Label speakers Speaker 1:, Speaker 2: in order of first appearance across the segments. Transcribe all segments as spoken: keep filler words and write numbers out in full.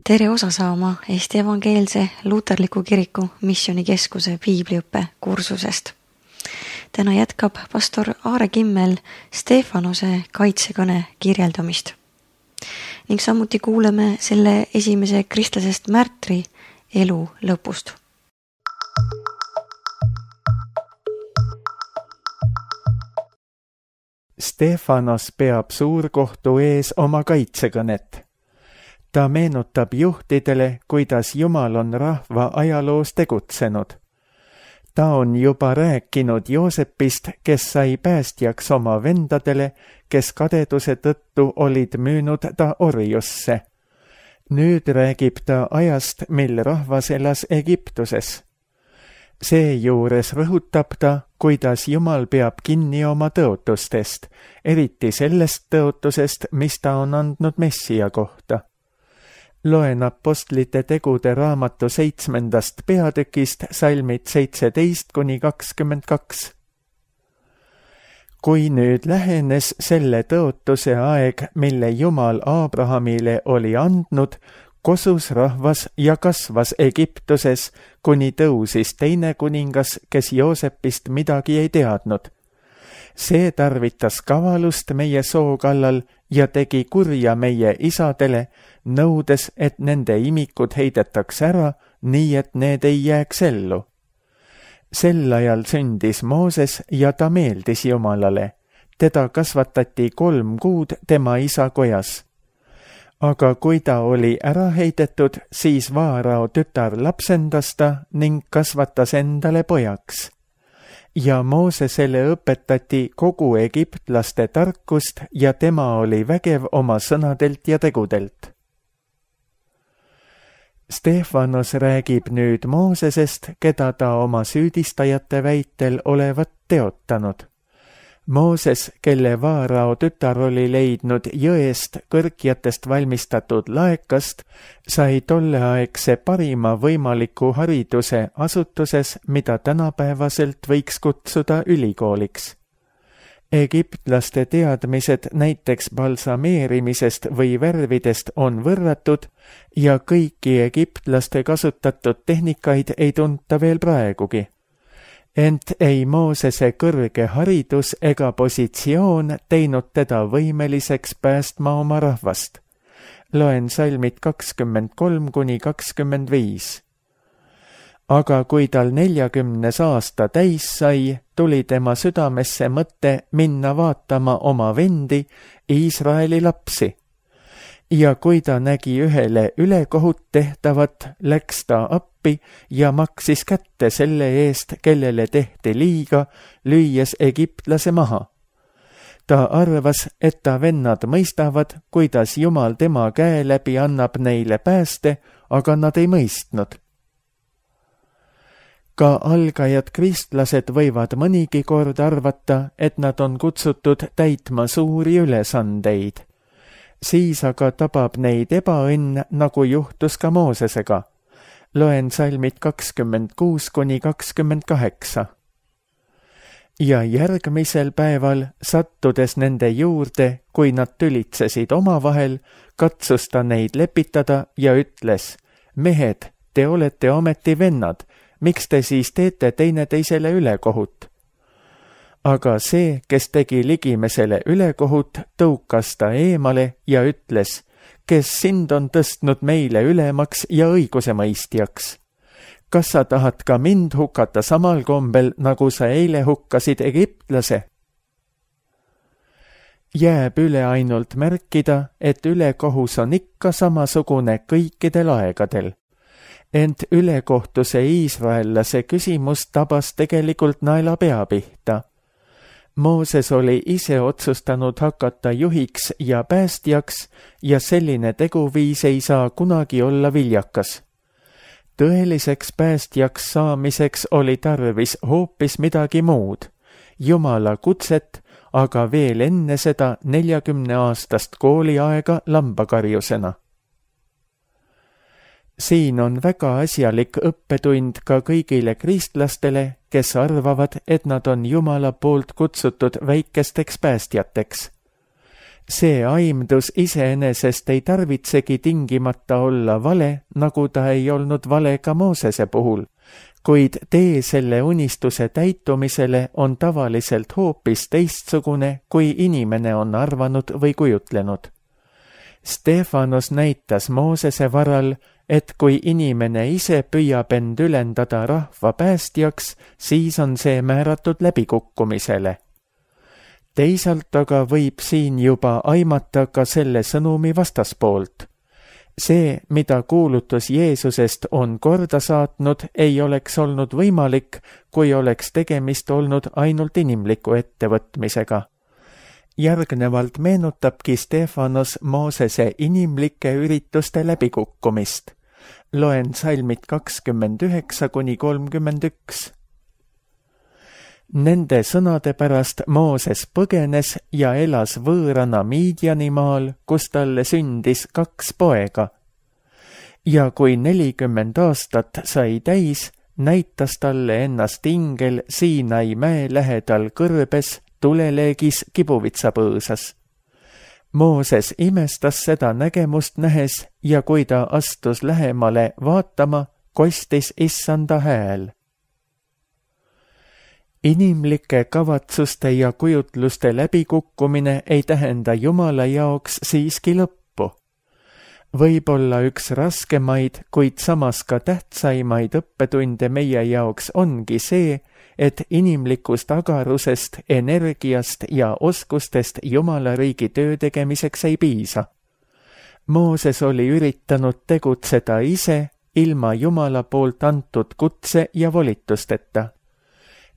Speaker 1: tere osa saama Eesti Evangeelse Luterliku Kiriku Missioonikeskuse piibliõppe kursusest. Täna jätkab pastor Aare Kimmel Stefanose kaitsekõne kirjeldamist. Ning samuti kuuleme selle esimese kristlasest märtri elu lõpust.
Speaker 2: Stefanos peab suurkohtu ees oma kaitsekõnet. Ta meenutab juhtidele, kuidas Jumal on rahva ajaloos tegutsenud. Ta on juba rääkinud Joosepist, kes sai päästjaks oma vendadele, kes kadeduse tõttu olid müünud ta orjusse. Nüüd räägib ta ajast, mil rahvas elas Egiptuses. Seejuures rõhutab ta, kuidas Jumal peab kinni oma tõotustest, eriti sellest tõotusest, mis ta on andnud Messia kohta. Loen apostlite tegude raamatu seitsmendast peatükist salmid seitseteist kuni kakskümmend kaks. Kui nüüd lähenes selle tõotuse aeg, mille Jumal Abrahamile oli andnud, kosus rahvas ja kasvas Egiptuses, kuni tõusis teine kuningas, kes Joosepist midagi ei teadnud. See tarvitas kavalust meie soo kallal ja tegi kurja meie isadele, nõudes, et nende imikud heidetaks ära, nii et need ei jääks ellu. Sel ajal sündis Mooses ja ta meeldis Jumalale. Teda kasvatati kolm kuud tema isa kojas. Aga kui ta oli ära heidetud, siis Vaarao tütar lapsendas ta ning kasvatas endale pojaks. Ja Moosesele õpetati kogu egiptlaste tarkust ja tema oli vägev oma sõnadelt ja tegudelt. Stefanos räägib nüüd Moosesest, keda ta oma süüdistajate väitel olevat teotanud. Mooses, kelle Vaarao tütar oli leidnud jõest kõrkjatest valmistatud laekast, sai tolleaegse parima võimaliku hariduse asutuses, mida tänapäevaselt võiks kutsuda ülikooliks. Egiptlaste teadmised näiteks balsameerimisest või värvidest on võrratud ja kõiki egiptlaste kasutatud tehnikaid ei tunta veel praegugi. Ent ei Moosese kõrge haridus ega positsioon teinud teda võimeliseks päästma oma rahvast. Loen salmid kakskümmend kolm kuni kakskümmend viis. Aga kui tal neljakümnes aasta täis sai, tuli tema südamesse mõte minna vaatama oma vendi, Iisraeli lapsi. Ja kui ta nägi ühele ülekohut tehtavat, läks ta appi ja maksis kätte selle eest, kellele tehti liiga, lüües egiptlase maha. Ta arvas, et ta vennad mõistavad, kuidas Jumal tema käe läbi annab neile pääste, aga nad ei mõistnud. Ka algajad kristlased võivad mõnigi kord arvata, et nad on kutsutud täitma suuri ülesandeid. Siis aga tabab neid ebaõnn, nagu juhtus ka Moosesega. Loen salmid kakskümmend kuus kuni kakskümmend kaheksa. Ja järgmisel päeval, sattudes nende juurde, kui nad tülitsesid omavahel, katsus ta neid lepitada ja ütles: mehed, te olete ometi vennad, miks te siis teete teineteisele ülekohut? Aga see, kes tegi ligimesele ülekohut, tõukas ta eemale ja ütles: kes sind on tõstnud meile ülemaks ja õigusemõistjaks? Kas sa tahad ka mind hukata samal kombel, nagu sa eile hukkasid egiptlase? Jääb üle ainult märkida, et ülekohus on ikka samasugune kõikidel aegadel. Ent ülekohtuse iisraellase küsimus tabas tegelikult naela pea pihta. Mooses oli ise otsustanud hakata juhiks ja päästjaks ja selline teguviis ei saa kunagi olla viljakas. Tõeliseks päästjaks saamiseks oli tarvis hoopis midagi muud, Jumala kutset, aga veel enne seda neljakümne aastast kooliaega lambakarjusena. Siin on väga asjalik õppetund ka kõigile kristlastele, kes arvavad, et nad on Jumala poolt kutsutud väikesteks päästjateks. see aimdus iseenesest ei tarvitsegi tingimata olla vale, nagu ta ei olnud vale ka Moosese puhul, kuid tee selle unistuse täitumisele on tavaliselt hoopis teistsugune, kui inimene on arvanud või kujutlenud. Stefanos näitas Moosese varal, et kui inimene ise püüab end ülendada rahva päästjaks, siis on see määratud läbikukkumisele. Teisalt aga võib siin juba aimata ka selle sõnumi vastaspoolt. See, mida kuulutus Jeesusest on korda saatnud, ei oleks olnud võimalik, kui oleks tegemist olnud ainult inimliku ettevõtmisega. Järgnevalt meenutabki Stefanos Moosese inimlike ürituste läbikukkumist. Loen salmid kakskümmend üheksa kuni kolmkümmend üks. Nende sõnade pärast Mooses põgenes ja elas võõrana Miidjanimaal, kus talle sündis kaks poega. Ja kui nelikümmend aastat sai täis, näitas talle ennast ingel Siinai mäe lähedal kõrbes, tuleleegis kibuvitsapõõsas. Mooses imestas seda nägemust nähes ja kui ta astus lähemale vaatama, kostis issanda hääl. Inimlike kavatsuste ja kujutluste läbikukkumine ei tähenda Jumala jaoks siiski lõppu. Võib-olla üks raskemaid, kuid samas ka tähtsaimaid õppetunde meie jaoks ongi see, et inimlikust agarusest, energiast ja oskustest Jumala riigi töö tegemiseks ei piisa. Mooses oli üritanud tegutseda ise ilma Jumala poolt antud kutse ja volitusteta.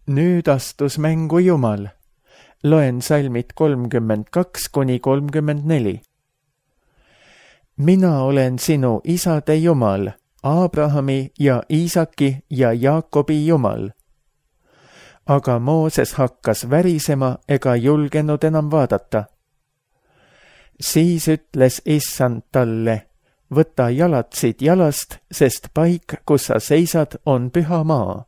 Speaker 2: Nüüd astus mängu Jumal. Loen salmid kolmkümmend kaks kuni kolmkümmend neli. Mina olen sinu isade Jumal, Abrahami ja Iisaki ja Jaakobi Jumal. Aga Mooses hakkas värisema ega julgenud enam vaadata. Siis ütles issand talle, võta jalatsid jalast, sest paik, kus sa seisad, on püha maa.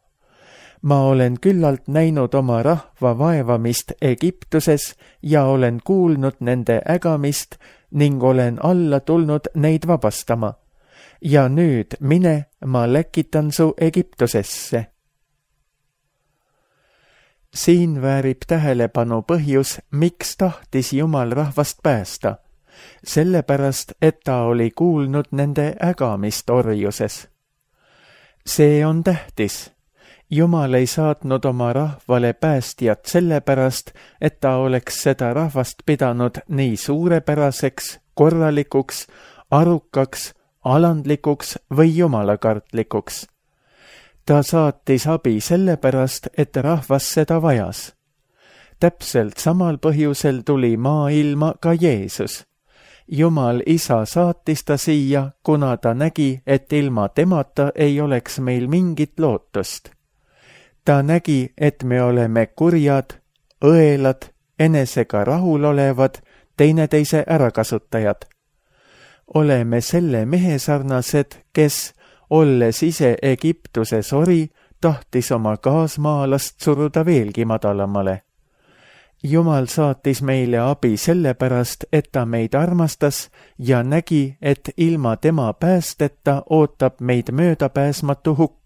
Speaker 2: Ma olen küllalt näinud oma rahva vaevamist Egiptuses ja olen kuulnud nende ägamist ning olen alla tulnud neid vabastama. Ja nüüd mine, ma läkitan su Egiptusesse. Siin väärib tähelepanu põhjus, miks tahtis Jumal rahvast päästa. Sellepärast, et ta oli kuulnud nende ägamist orjuses. See on tähtis. Jumal ei saatnud oma rahvale päästjat sellepärast, et ta oleks seda rahvast pidanud nii suurepäraseks, korralikuks, arukaks, alandlikuks või jumalakartlikuks. Ta saatis abi sellepärast, et rahvas seda vajas. Täpselt samal põhjusel tuli maailma ka Jeesus. Jumal isa saatis ta siia, kuna ta nägi, et ilma temata ei oleks meil mingit lootust. Ta nägi, et me oleme kurjad, õelad, enesega rahulolevad, teineteise ärakasutajad. Oleme selle mehe sarnased, kes, olles ise Egiptuses ori, tahtis oma kaasmaalast suruda veelgi madalamale. Jumal saatis meile abi sellepärast, et ta meid armastas ja nägi, et ilma tema päästeta ootab meid möödapääsmatu hukk.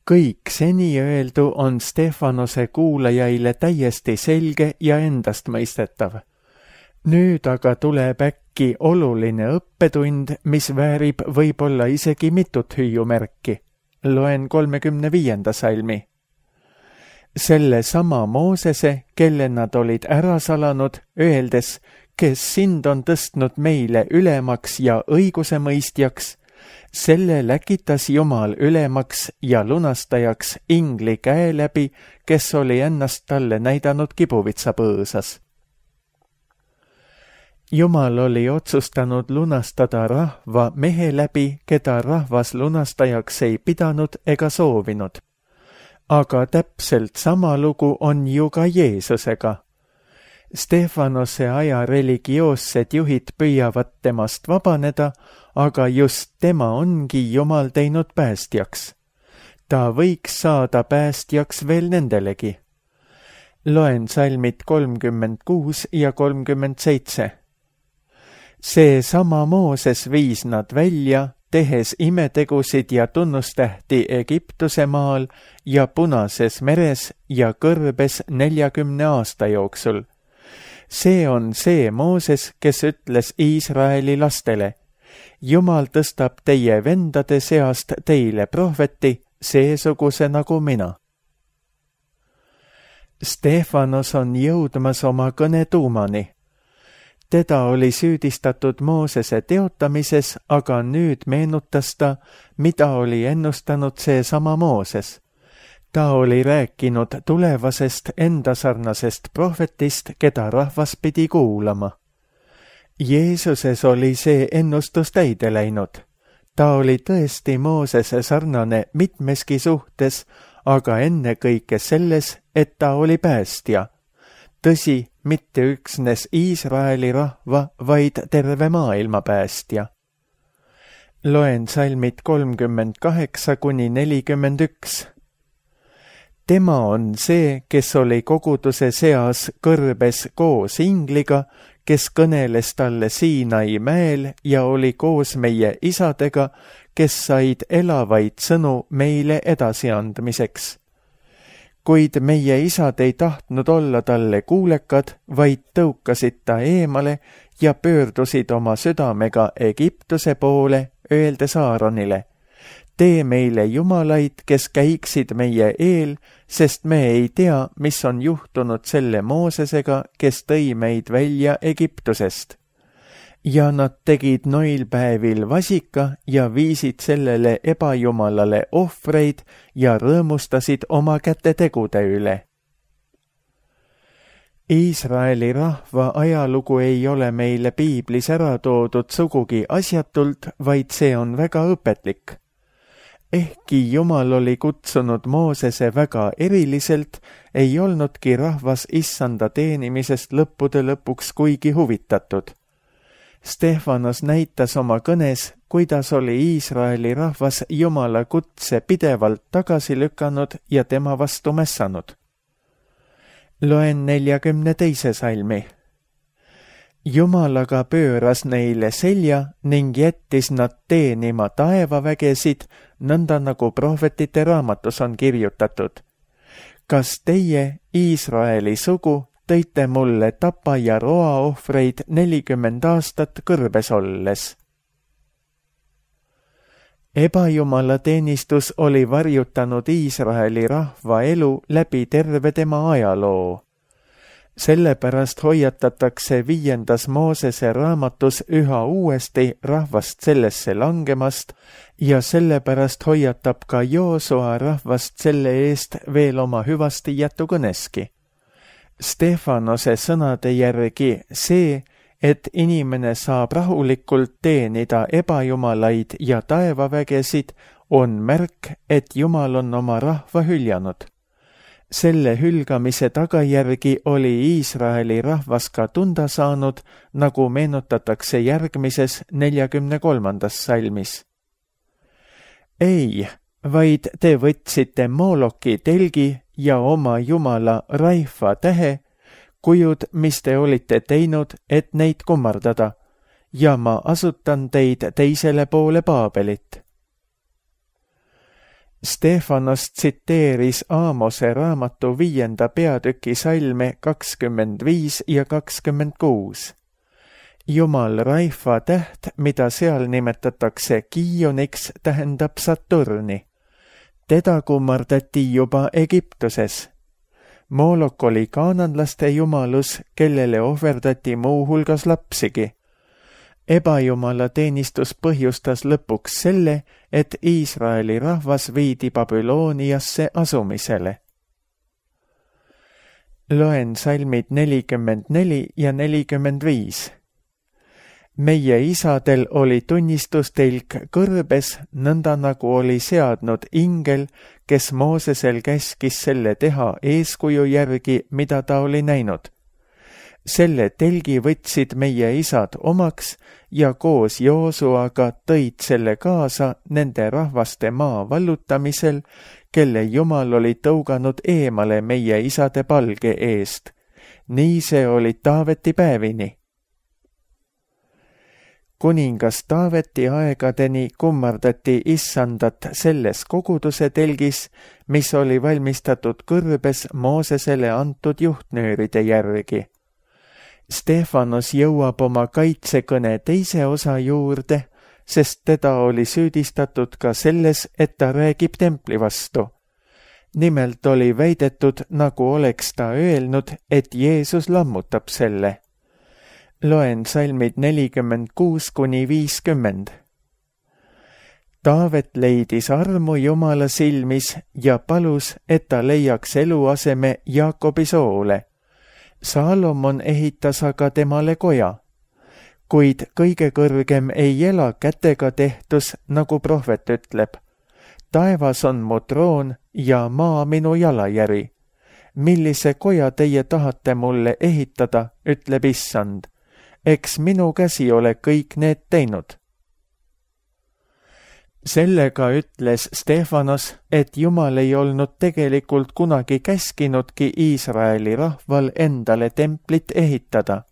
Speaker 2: Kõik seni öeldu on Stefanose kuulajaile täiesti selge ja endastmõistetav. Nüüd aga tuleb äkki oluline õppetund, mis väärib võib-olla isegi mitut hüüumärki. Loen kolmekümne viienda salmi. Selle sama Moosese, kelle nad olid ära salanud, öeldes, kes sind on tõstnud meile ülemaks ja õigusemõistjaks, selle läkitas Jumal ülemaks ja lunastajaks ingli käe läbi, kes oli ennast talle näidanud kibuvitsapõõsas. Jumal oli otsustanud lunastada rahva mehe läbi, keda rahvas lunastajaks ei pidanud ega soovinud. Aga täpselt sama lugu on ju ka Jeesusega. Stefanose aja religioossed juhid püüavad temast vabaneda, aga just tema ongi Jumal teinud päästjaks. ta võiks saada päästjaks veel nendelegi. Loen salmid kolmkümmend kuus ja kolmkümmend seitse. See sama Mooses viis nad välja, tehes imetegusid ja tunnustähti Egiptuse maal ja Punases meres ja kõrbes neljakümne aasta jooksul. See on see Mooses, kes ütles Iisraeli lastele: Jumal tõstab teie vendade seast teile prohveti, seesuguse nagu mina. Stefanos on jõudmas oma kõne tuumani. Teda oli süüdistatud Moosese teotamises, aga nüüd meenutas ta, mida oli ennustanud seesama Mooses. Ta oli rääkinud tulevasest endasarnasest prohvetist, keda rahvas pidi kuulama. Jeesuses oli see ennustus täide läinud. Ta oli tõesti Moosese sarnane mitmeski suhtes, aga ennekõike selles, et ta oli päästja. Tõsi, mitte üksnes Iisraeli rahva, vaid terve maailma päästja. Loen salmid kolmkümmend kaheksa kuni nelikümmend üks. Tema on see, kes oli koguduse seas kõrbes koos ingliga, kes kõneles talle Siinai mäel ja oli koos meie isadega, kes said elavaid sõnu meile edasiandmiseks. Kuid meie isad ei tahtnud olla talle kuulekad, vaid tõukasid ta eemale ja pöördusid oma südamega Egiptuse poole, öeldes Aaronile: tee meile jumalaid, kes käiksid meie eel, sest me ei tea, mis on juhtunud selle Moosesega, kes tõi meid välja Egiptusest. Ja nad tegid noilpäevil vasika ja viisid sellele ebajumalale ohvreid ja rõõmustasid oma kätetegude üle. Iisraeli rahva ajalugu ei ole meile piiblis ära toodud sugugi asjatult, vaid see on väga õpetlik. Ehkki Jumal oli kutsunud Moosese väga eriliselt, ei olnudki rahvas issanda teenimisest lõppude lõpuks kuigi huvitatud. Stefanos näitas oma kõnes, kuidas oli Iisraeli rahvas Jumala kutse pidevalt tagasi lükanud ja tema vastu mässanud. Loen neljakümne teise salmi. Jumal aga pööras neile selja ning jättis nad teenima taevavägesid, nõnda nagu prohvetite raamatus on kirjutatud. Kas teie, Iisraeli sugu, tõite mulle tapa ja roa ohvreid nelikümmend aastat kõrbes olles? Ebajumala teenistus oli varjutanud Iisraeli rahva elu läbi terve tema ajaloo. Sellepärast hoiatatakse viiendas Moosese raamatus üha uuesti rahvast sellesse langemast ja sellepärast hoiatab ka Joosua rahvast selle eest veel oma hüvasti jätukõneski. Stefanose sõnade järgi see, et inimene saab rahulikult teenida ebajumalaid ja taevavägesid, on märk, et Jumal on oma rahva hüljanud. Selle hülgamise tagajärgi oli Iisraeli rahvas ka tunda saanud, nagu meenutatakse järgmises neljakümne kolmandas salmis. Ei, vaid te võtsite Moloki telgi ja oma jumala Raifa tähe, kujud, mis te olite teinud, et neid kummardada, ja ma asutan teid teisele poole Paabelit. Stefanos tsiteeris Aamose raamatu viienda peatüki salme kakskümmend viis ja kakskümmend kuus. Jumal Raifa täht, mida seal nimetatakse Kiioniks, tähendab Saturni. Teda kummardati juba Egiptuses. Molok oli kaananlaste jumalus, kellele ohverdati muu hulgas lapsigi. Ebajumala teenistus põhjustas lõpuks selle, et Iisraeli rahvas viidi Babyloniasse asumisele. Loen salmid nelikümmend neli ja nelikümmend viis. Meie isadel oli tunnistustelk kõrbes, nõnda nagu oli seadnud ingel, kes Moosesel käskis selle teha eeskuju järgi, mida ta oli näinud. selle telgi võtsid meie isad omaks ja koos Joosuaga tõid selle kaasa nende rahvaste maa vallutamisel, kelle Jumal oli tõuganud eemale meie isade palge eest. Nii see oli Taaveti päevini. Kuningas Taaveti aegadeni kummardati issandat selles koguduse telgis, mis oli valmistatud kõrbes Moosesele antud juhtnööride järgi. Stefanos jõuab oma kaitsekõne teise osa juurde, sest teda oli süüdistatud ka selles, et ta räägib templi vastu. Nimelt oli väidetud, nagu oleks ta öelnud, et Jeesus lammutab selle. Loen salmid nelikümmend kuus kuni viiskümmend. Taavet leidis armu Jumala silmis ja palus, et ta leiaks eluaseme Jaakobi soole. Saalomon ehitas aga temale koja, kuid kõige kõrgem ei ela kätega tehtus, nagu prohvet ütleb. Taevas on mu troon ja maa minu jalajäri. Millise koja teie tahate mulle ehitada, ütleb issand. Eks minu käsi ole kõik need teinud. Sellega ütles Stefanos, et Jumal ei olnud tegelikult kunagi käskinudki Iisraeli rahval endale templit ehitada.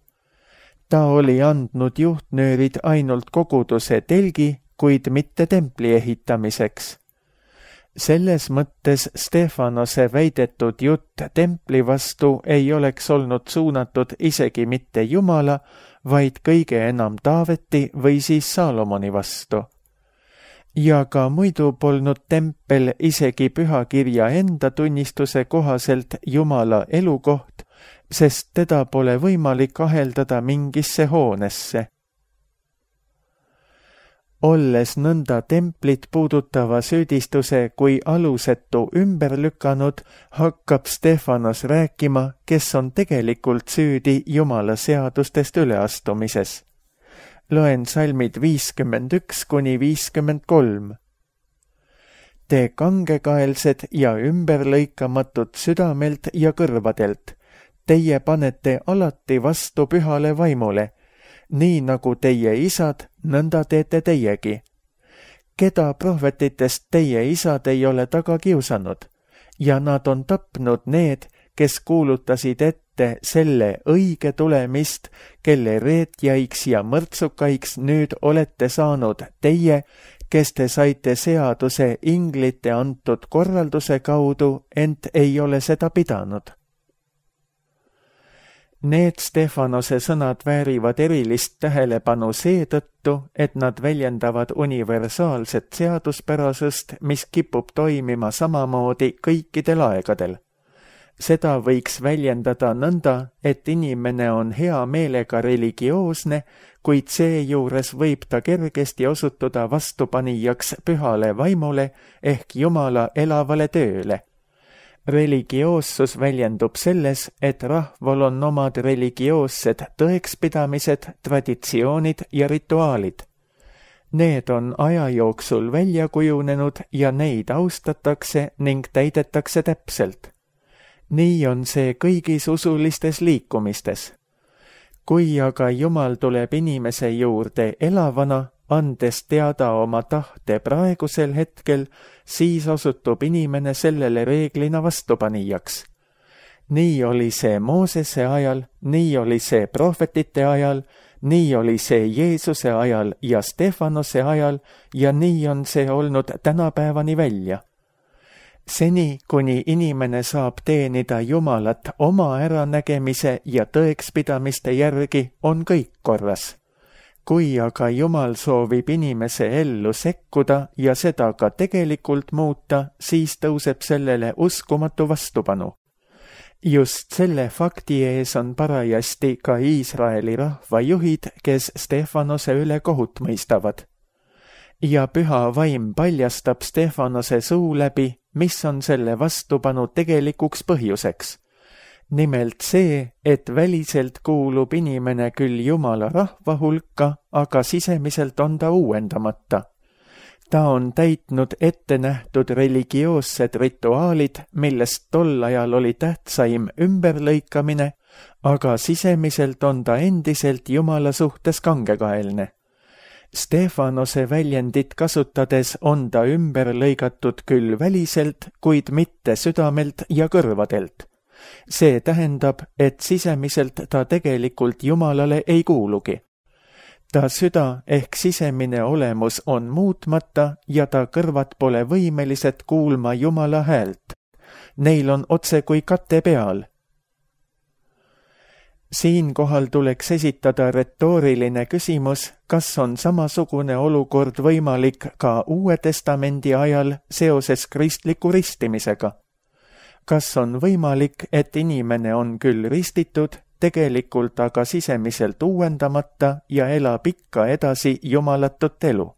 Speaker 2: Ta oli andnud juhtnöörid ainult koguduse telgi, kuid mitte templi ehitamiseks. Selles mõttes Stefanose väidetud jutt templi vastu ei oleks olnud suunatud isegi mitte Jumala, vaid kõige enam Taaveti või siis Saalomoni vastu. Ja ka muidu polnud tempel isegi pühakirja enda tunnistuse kohaselt Jumala elukoht, sest teda pole võimalik aheldada mingisse hoonesse. Olles nõnda templit puudutava süüdistuse kui alusetu ümber lükanud, hakkab Stefanos rääkima, kes on tegelikult süüdi Jumala seadustest üleastumises. Loen salmid viiskümmend üks kuni viiskümmend kolm. Te kangekaelsed ja ümberlõikamatud südamelt ja kõrvadelt, teie panete alati vastu pühale vaimule, nii nagu teie isad, nõnda teete teiegi. Keda prohvetitest teie isad ei ole taga kiusanud, ja nad on tapnud need, kes kuulutasid ette selle õige tulemist, kelle reetjaiks ja mõrtsukaiks nüüd olete saanud teie, kes te saite seaduse inglite antud korralduse kaudu, ent ei ole seda pidanud. Need Stefanose sõnad väärivad erilist tähelepanu seetõttu, et nad väljendavad universaalset seaduspärasust, mis kipub toimima samamoodi kõikidel aegadel. Seda võiks väljendada nõnda, et inimene on hea meelega religioosne, kuid seejuures võib ta kergesti osutuda vastupanijaks pühale vaimule ehk Jumala elavale tööle. Religioossus väljendub selles, et rahval on omad religioossed tõekspidamised, traditsioonid ja rituaalid. Need on aja jooksul välja kujunenud ja neid austatakse ning täidetakse täpselt. Nii on see kõigis usulistes liikumistes. Kui aga Jumal tuleb inimese juurde elavana, andes teada oma tahte praegusel hetkel, siis osutub inimene sellele reeglina vastupanijaks. Nii oli see Moosese ajal, nii oli see prohvetite ajal, nii oli see Jeesuse ajal ja Stefanose ajal ja nii on see olnud tänapäevani välja. Seni, kuni inimene saab teenida Jumalat oma äranägemise ja tõekspidamiste järgi, on kõik korras. Kui aga Jumal soovib inimese ellu sekkuda ja seda ka tegelikult muuta, siis tõuseb sellele uskumatu vastupanu. Just selle fakti ees on parajasti ka Iisraeli rahvajuhid, kes Stefanose üle kohut mõistavad. Ja püha vaim paljastab Stefanose suu läbi, mis on selle vastupanu tegelikuks põhjuseks. Nimelt see, et väliselt kuulub inimene küll Jumala rahva hulka, aga sisemiselt on ta uuendamata. Ta on täitnud ette nähtud religioossed rituaalid, millest tol ajal oli tähtsaim ümberlõikamine, aga sisemiselt on ta endiselt Jumala suhtes kangekaelne. Stefanose väljendit kasutades on ta ümber lõigatud küll väliselt, kuid mitte südamelt ja kõrvadelt. See tähendab, et sisemiselt ta tegelikult Jumalale ei kuulugi. Ta süda ehk sisemine olemus on muutmata ja ta kõrvad pole võimelised kuulma Jumala häält. Neil on otse kui kate peal. Siinkohal tuleks esitada retooriline küsimus, kas on samasugune olukord võimalik ka Uue Testamendi ajal seoses kristliku ristimisega. Kas on võimalik, et inimene on küll ristitud, tegelikult aga sisemiselt uuendamata ja elab ikka edasi jumalatut elu?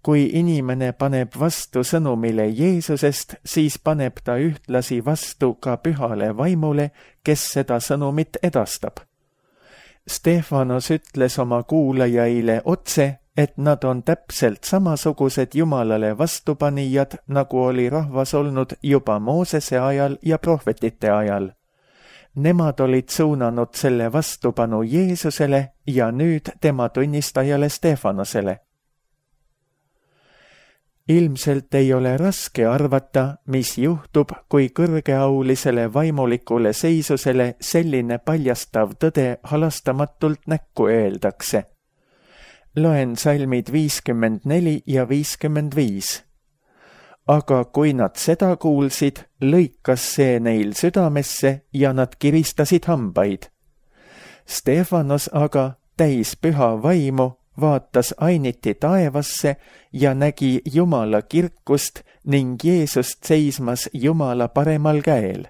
Speaker 2: Kui inimene paneb vastu sõnumile Jeesusest, siis paneb ta ühtlasi vastu ka pühale vaimule, kes seda sõnumit edastab. Stefanos ütles oma kuulajaile otse, et nad on täpselt samasugused Jumalale vastupanijad, nagu oli rahvas olnud juba Moosese ajal ja prohvetite ajal. Nemad olid suunanud selle vastupanu Jeesusele ja nüüd tema tunnistajale Stefanosele. Ilmselt ei ole raske arvata, mis juhtub, kui kõrgeaulisele vaimulikule seisusele selline paljastav tõde halastamatult näkku öeldakse. Loen salmid viiskümmend neli ja viiskümmend viis. Aga kui nad seda kuulsid, lõikas see neil südamesse ja nad kiristasid hambaid. Stefanos aga, täis püha vaimu, vaatas ainiti taevasse ja nägi Jumala kirkust ning Jeesust seismas Jumala paremal käel.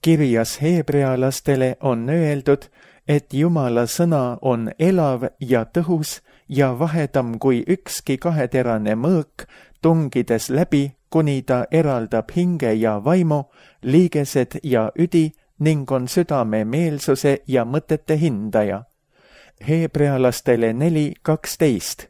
Speaker 2: Kirjas heebrealastele on öeldud, et Jumala sõna on elav ja tõhus ja vahedam kui ükski kaheterane mõõk, tungides läbi, kuni ta eraldab hinge ja vaimu, liigesed ja üdi ning on südame meelsuse ja mõtete hindaja. Heebrealastele neli kaksteist.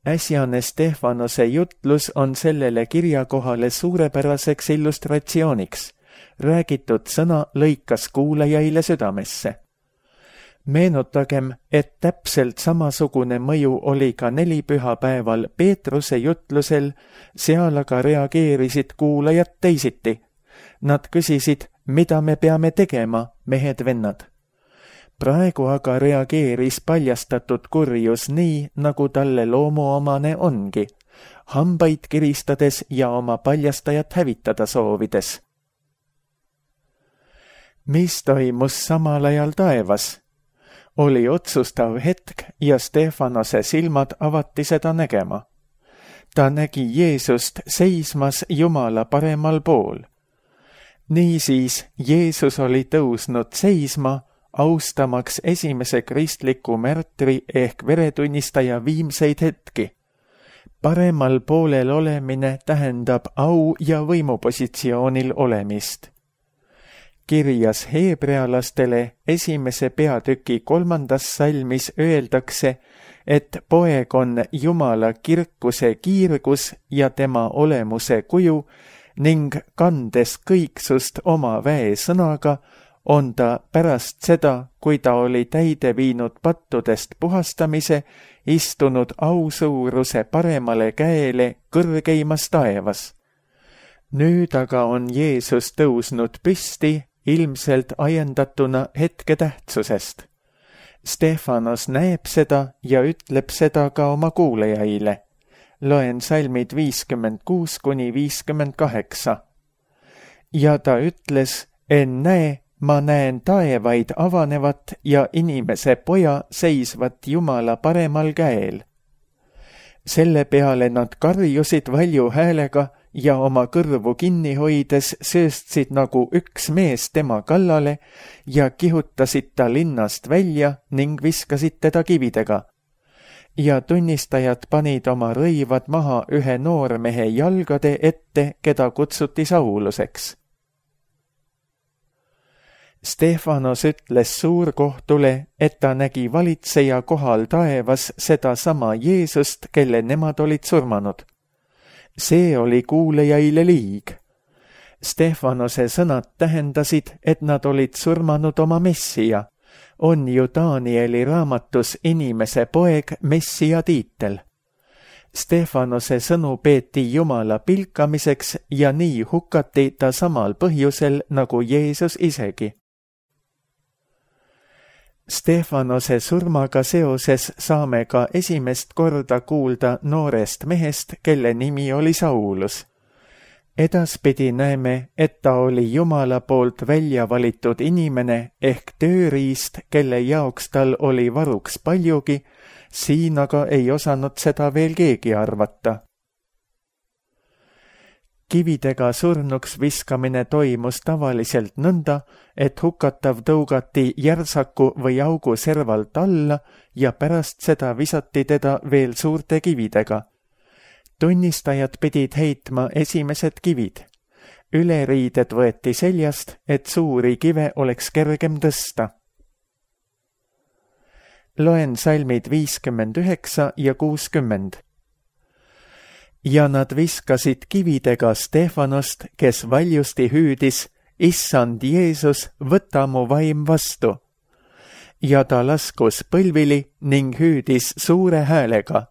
Speaker 2: Äsjane Stefanose jutlus on sellele kirjakohale suurepäraseks illustratsiooniks. Räägitud sõna lõikas kuulajaile südamesse. Meenutagem, et täpselt samasugune mõju oli ka nelipühapäeval Peetruse jutlusel, seal aga reageerisid kuulajad teisiti. Nad küsisid, mida me peame tegema, mehed-vennad. Praegu aga reageeris paljastatud kurjus nii, nagu talle loomuomane ongi, hambaid kiristades ja oma paljastajat hävitada soovides. Mis toimus samal ajal taevas? Oli otsustav hetk ja Stefanose silmad avati seda nägema. Ta nägi Jeesust seismas Jumala paremal pool. Niisiis Jeesus oli tõusnud seisma, austamaks esimese kristliku märtri ehk veretunnistaja viimseid hetki. Paremal poolel olemine tähendab au ja võimupositsioonil olemist. Kirjas heebrealastele esimese peatüki kolmandas salmis öeldakse, et poeg on Jumala kirkuse kiirgus ja tema olemuse kuju ning kandes kõiksust oma väesõnaga, on ta pärast seda, kui ta oli täide viinud pattudest puhastamise, istunud ausuuruse paremale käele kõrgeimas taevas. Nüüd aga on Jeesus tõusnud püsti, ilmselt ajendatuna hetke tähtsusest. Stefanos näeb seda ja ütleb seda ka oma kuulajaile. Loen salmid viiskümmend kuus kuni viiskümmend kaheksa. Ja ta ütles, ennäe, ma näen taevaid avanevat ja inimese poja seisvat Jumala paremal käel. Selle peale nad karjusid valju häälega ja oma kõrvu kinni hoides sööstsid nagu üks mees tema kallale ja kihutasid ta linnast välja ning viskasid teda kividega. Ja tunnistajad panid oma rõivad maha ühe noormehe jalgade ette, keda kutsuti Sauluseks. Stefanos ütles suurkohtule, et ta nägi valitseja kohal taevas seda sama Jeesust, kelle nemad olid surmanud. See oli kuulajaile liig. Stefanose sõnad tähendasid, et nad olid surmanud oma Messia. On ju Danieli raamatus inimese poeg Messia tiitel. Stefanose sõnu peeti Jumala pilkamiseks ja nii hukati ta samal põhjusel nagu Jeesus isegi. Stefanose surmaga seoses saame ka esimest korda kuulda noorest mehest, kelle nimi oli Saulus. Edaspidi näeme, et ta oli Jumala poolt välja valitud inimene ehk tööriist, kelle jaoks tal oli varuks paljugi, siin aga ei osanud seda veel keegi arvata. Kividega surnuks viskamine toimus tavaliselt nõnda, et hukatav tõugati järsaku või augu servalt alla ja pärast seda visati teda veel suurte kividega. Tunnistajad pidid heitma esimesed kivid. Üleriided võeti seljast, et suuri kive oleks kergem tõsta. Loen salmid viiskümmend üheksa ja kuuskümmend. Ja nad viskasid kividega Stefanost, kes valjusti hüüdis, Issand Jeesus, võta mu vaim vastu. Ja ta laskus põlvili ning hüüdis suure häälega,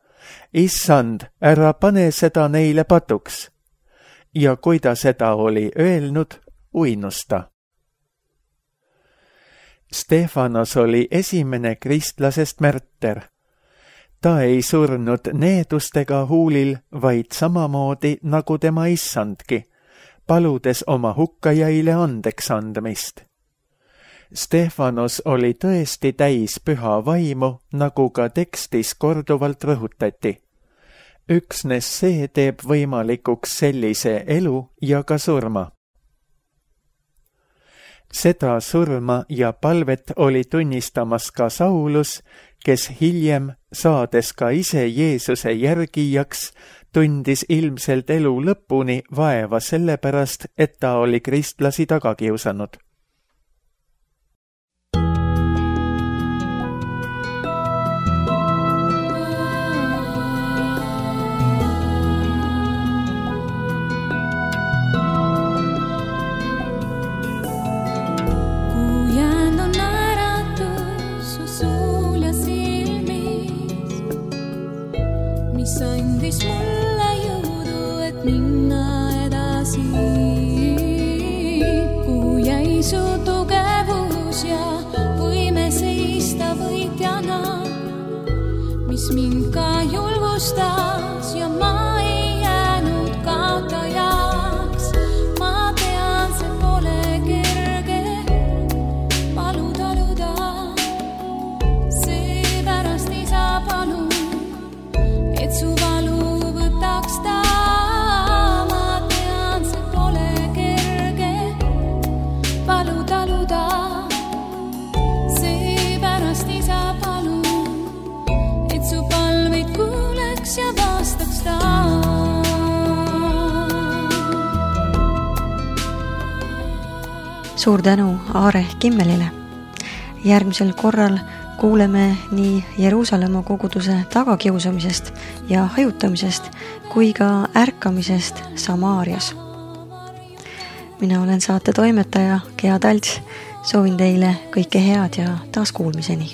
Speaker 2: Issand, ära pane seda neile patuks. Ja kui ta seda oli öelnud, uinus ta. Stefanos oli esimene kristlasest märter. Ta ei surnud needustega huulil, vaid samamoodi nagu tema issandki, paludes oma hukkajaile andeks andmist. Stefanos oli tõesti täis püha vaimu, nagu ka tekstis korduvalt rõhutati. Üksnes see teeb võimalikuks sellise elu ja ka surma. Seda surma ja palvet oli tunnistamas ka Saulus, kes hiljem, saades ka ise Jeesuse järgijaks, tundis ilmselt elu lõpuni vaeva sellepärast, et ta oli kristlasi taga kiusanud.
Speaker 3: Andis mulle jõudu, et minna edasi. Kuhu jäi su tugevus ja võime seista võitjana, mis mind ka julgustas ja ma ei jäänud kaotajaks. Ma tean, see pole kerge, palu taluda, seepärast isa palun, et su valu võtaks ta. Ma tean, see pole kerge, palu taluda, seepärast isa palun, et su palveid kuuleks ja vastaks ta.
Speaker 1: Suur tänu Aare Kimmelile. Järgmisel korral kuuleme nii Jeruusalemma koguduse tagakiusamisest ja hajutamisest kui ka ärkamisest Samaarias. Mina olen saate toimetaja Gea Talts. Soovin teile kõike head ja taas kuulmiseni.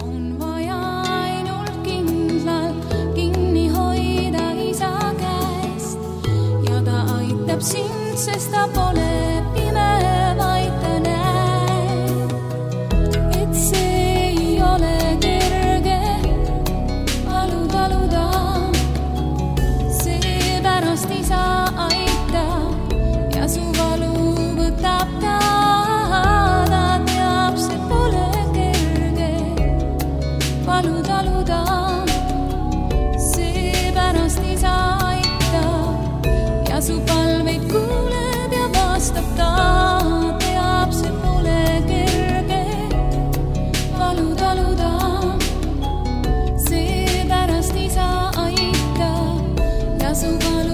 Speaker 3: On vaja ainult kindlalt kinni hoida isa käest ja ta aitab sind, sest ta pole pime, vaid ta näeb. Et see ei ole kerge, palu taluda, seepärast isa aitab ja su valu võtab ta. Ta teab, see pole kerge, palu taluda, seepärast isa aitab ja su palveid kuuleb ja vastab ta. Teab, see pole kerge, palu taluda, seepärast isa aitab ja su valu